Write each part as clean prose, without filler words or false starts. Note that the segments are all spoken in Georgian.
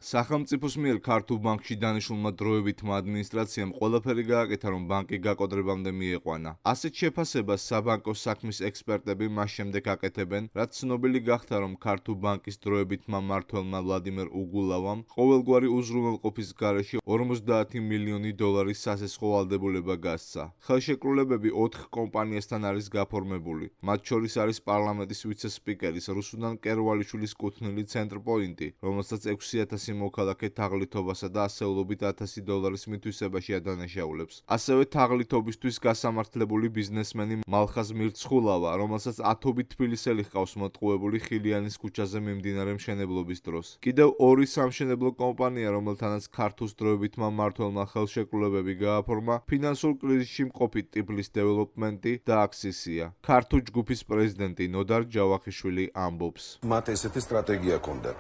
სახელმწიფოს მიერ ქართულ ბანკში დანიშნულმა დროებითმა ადმინისტრაციამ ყველაფერი გააკეთა, რომ ბანკი გაკოტრებამდე მიიყვანა. ასეთ შეფასებას საბანკო საქმის ექსპერტები მას შემდეგ აკეთებენ, რაც ცნობილი გახდა, რომ ქართულ ბანკის დროებითმა მმართველმა ვლადიმერ უგულავამ ყოველგვარი უზრუნველყოფის გარეშე 50 მილიონი დოლარის სასესხო ვალდებულება გასცა. ხელშეკრულებები 4 კომპანიასთან არის გაფორმებული. მათ შორის არის პარლამენტის ვიცე-სპიკერის რუსუდან კერვალიშვილის კუთვნილი ცენტრპოინტი, რომელსაც 6,000 მოქალაქე თაღლითობასა და ასეულობით $1,000 მითვისებაში ადანაშაულებს. ასევე თაღლითობისთვის გასამართლებული ბიზნესმენი მალხაზ მირცხულავა, რომელსაც ათობით თბილისელი ჰყავს მოტყუებული ხილიანის ქუჩაზე მიმდინარე მშენებლობის დროს. კიდევ ორი სამშენებლო კომპანია, რომელთანაც ქართულს დროებითმა მმართველმა ხელშეკრულებები გააფორმა, ფინანსურ კრიზისში მყოფი ტიფლის დეველოპმენტი და აქსისია. ქართულ ჯგუფის პრეზიდენტი ნოდარ ჯავახიშვილი ამბობს. მათ ესეთი სტრატეგია ჰქონდათ.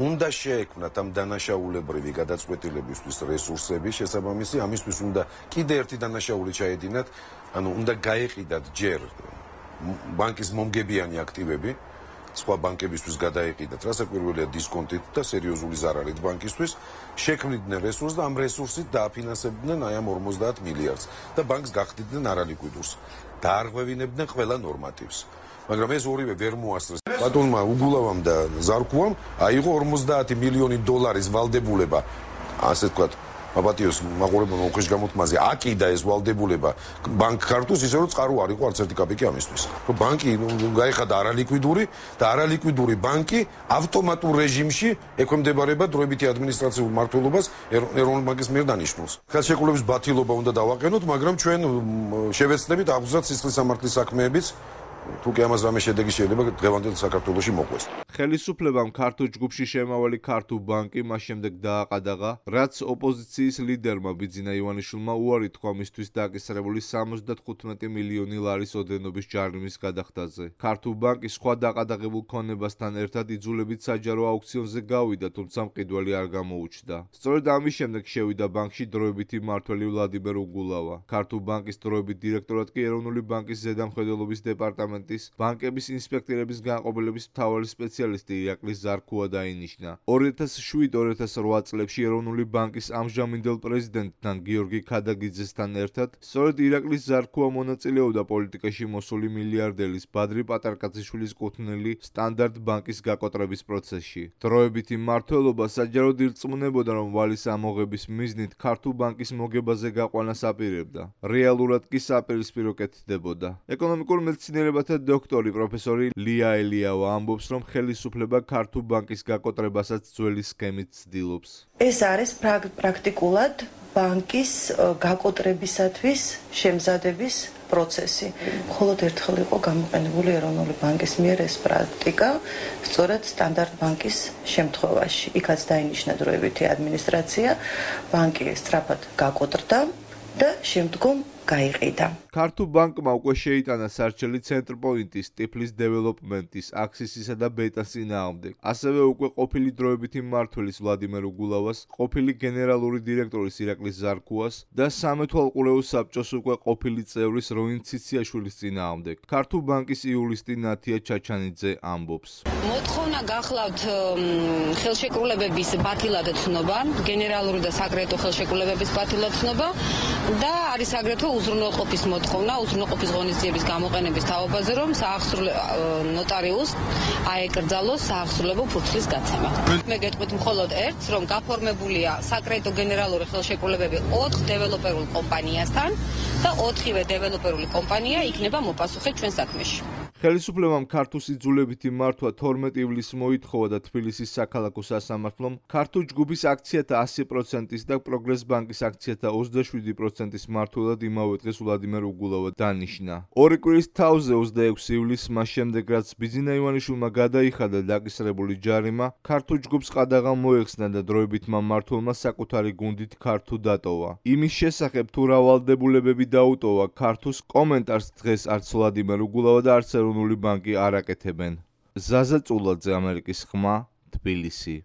უნდა შეექმნათ ამ დანაშაულებრივი გადაწყვეტილებისთვის რესურსები, შესაბამისი ამისთვის უნდა კიდე ერთი დანაშაული ჩაედინათ, უნდა გაეყიდათ ჯერ ბანკის მომგებიანი აქტივები, სხვა ბანკებისთვის გადაეყიდათ, რასაკვირველია დისკონტით და სერიოზული ზარალით ბანკისთვის, შექმნიდნენ რესურსს და ამ რესურსით დააფინანსებდნენ აი ამ 50 მილიარდს და ბანკს გახდიდნენ არალიკვიდურს. დაარღვევინებდნენ ყველა ნორმატივს. მაგრამ ეს ორივე ვერ მოასწრეს. ბატონმა უგულავამ და ზარქუამ აიღო 50 მილიონი დოლარის ვალდებულება, ასე ვთქვათ, აპატიოს მაყურებელმა უხეშ გამოთქმაზე აკიდა ეს ვალდებულება ბანკ ქართულს, ისე რომ წყარო არ იყო არც ერთი კაპიკი ამისთვის. რომ ბანკი გაიხადა არალიკვიდური და არალიკვიდური ბანკი ავტომატურ რეჟიმში ექვემდებარება დროებითი ადმინისტრაციულ მმართველობას ეროვნული ბანკის მიერ დანიშნულს. ხელშეკრულების ბათილობა უნდა დავაყენოთ, მაგრამ ჩვენ შევეცდებით აღზრდათ სისხლის სამართლის საქმეებიც თუ კი ამას რამე შედეგი შეიძლება დღევანდელ საქართველოში მოყვეს. ხელისუფლებამ ქართულ ჯგუფში შემავალი ქართულ ბანკი მას შემდეგ დააყადაღა, რაც ოპოზიციის ლიდერმა ბიძინა ივანიშვილმა უარი თქვა მისთვის დაკისრებული 75 მილიონი ლარის ოდენობის ჯარიმის გადახდაზე. ქართულ ბანკი სხვა დაყადაღებულ ქონებასთან ერთად იძულებით საჯარო აუქციონზე გავიდა, თუმცა მყიდველი არ გამოუჩნდა. სწორედ ამის შემდეგ შევიდა ბანკში დროებითი მმართველი ვლადიმერ უგულავა. ქართულ ბანკის დროებით დირექტორად კი ეროვნული ბანკის ზედამხედველობის დეპარტამენტის ბანკების ინსპექტორების განყოფილების მთავარი სპეციალისტი ირაკლი ზარქუა დაინიშნა. 2007-2008 წლებში ეროვნული ბანკის ამჟამინდელ პრეზიდენტთან გიორგი ქადაგიძესთან ერთად სწორედ ირაკლი ზარქუა მონაწილეობდა პოლიტიკაში მოსული მილიარდერის ბადრი პატარკაციშვილის კუთვნილი სტანდარტ ბანკის გაკოტრების პროცესში. დროებითი მმართველობა საჯაროდ ირწმუნებოდა, რომ ვალის ამოღების მიზნით ქართულ ბანკის მოგებაზე გაყვანას აპირებდა. რეალურად კი საპირისპირო კეთდებოდა. ეკონომიკურ მეცნიერებათა დოქტორი პროფესორი ლია ელიავა ამბობს, რომ ხელისუფლება ქართულ ბანკის გაკოტრებასაც ძველი სქემით ცდილობს. ეს არის პრაქტიკულად ბანკის გაკოტრებისათვის შემზადების პროცესი. მხოლოდ ერთხელ იყო გამოყენებული ეროვნული ბანკის მიერ ეს პრაქტიკა, სწორედ სტანდარტ ბანკის შემთხვევაში. იქაც დაინიშნა დროებითი ადმინისტრაცია, ბანკი სწრაფად გაკოტრდა და შემდგომ გაიყიდა. ქართულ ბანკმა უკვე შეიტანა სარჩელი ცენტრპოინტის, ტიფლის დეველოპმენტის, აქსისისა და ბეტას წინააღმდეგ. ასევე უკვე ყოფილი დროებითი მმართველის ვლადიმერ უგულავას, ყოფილი გენერალური დირექტორის ირაკლი ზარქუას და სამეთვალყურეო საბჭოს უკვე ყოფილი წევრის როინ ციციაშვილის წინააღმდეგ. ქართულ ბანკის იურისტი ნათია ჩაჩანიძე ამბობს. მოთხოვნა გახლავთ ხელშეკრულებების ბათილად ცნობა, გენერალური და საკრედიტო ხელშეკრულებების ბათილად ცნობა და არის აგრეთვე უზრუნველყოფის მოთხოვნა, უზრუნველყოფის ღონისძიების გამოყენების თაობაზე, რომ ნოტარიუსს აეკრძალოს საახსრულებო ფურცლის გაცემა. მე გეტყვით მხოლოდ ერთს, რომ გაფორმებულია საკრედიტო გენერალური ხელშეკრულებები 4 დეველოპერულ კომპანიასთან და 4-ვე დეველოპერული კომპანია იქნება მოპასუხე ჩვენ საქმეში. ხელისუფლებამ ქართულს იძულებითი მართვა 12 ივლისს მოითხოვა და თბილისის საქალაქო სასამართლომ ქართულ ჯგუფის აქციათა 100%-ის და პროგრეს ბანკის აქციათა 27%-ის მმართველად იმავე დღეს ვლადიმერ უგულავა დანიშნა. ორი კვირის თავზე 26 ივლისს მას შემდეგ, რაც ბიძინა ივანიშვილმა გადაიხადა დაკისრებული ჯარიმა, ქართულ ჯგუფს ყადაღა მოეხსნა და დროებითმა მმართველმა საკუთარი გუნდით ქართულ დატოვა. იმის შესახებ თუ რა ვალდებულებები დაუტოვა ქართულს, კომენტარს დღეს არც ვლადიმერ უგულავა და არც ეროვნული ბანკი არ აკეთებენ. ზაზა წულაძე, ამერიკის ხმა, თბილისი.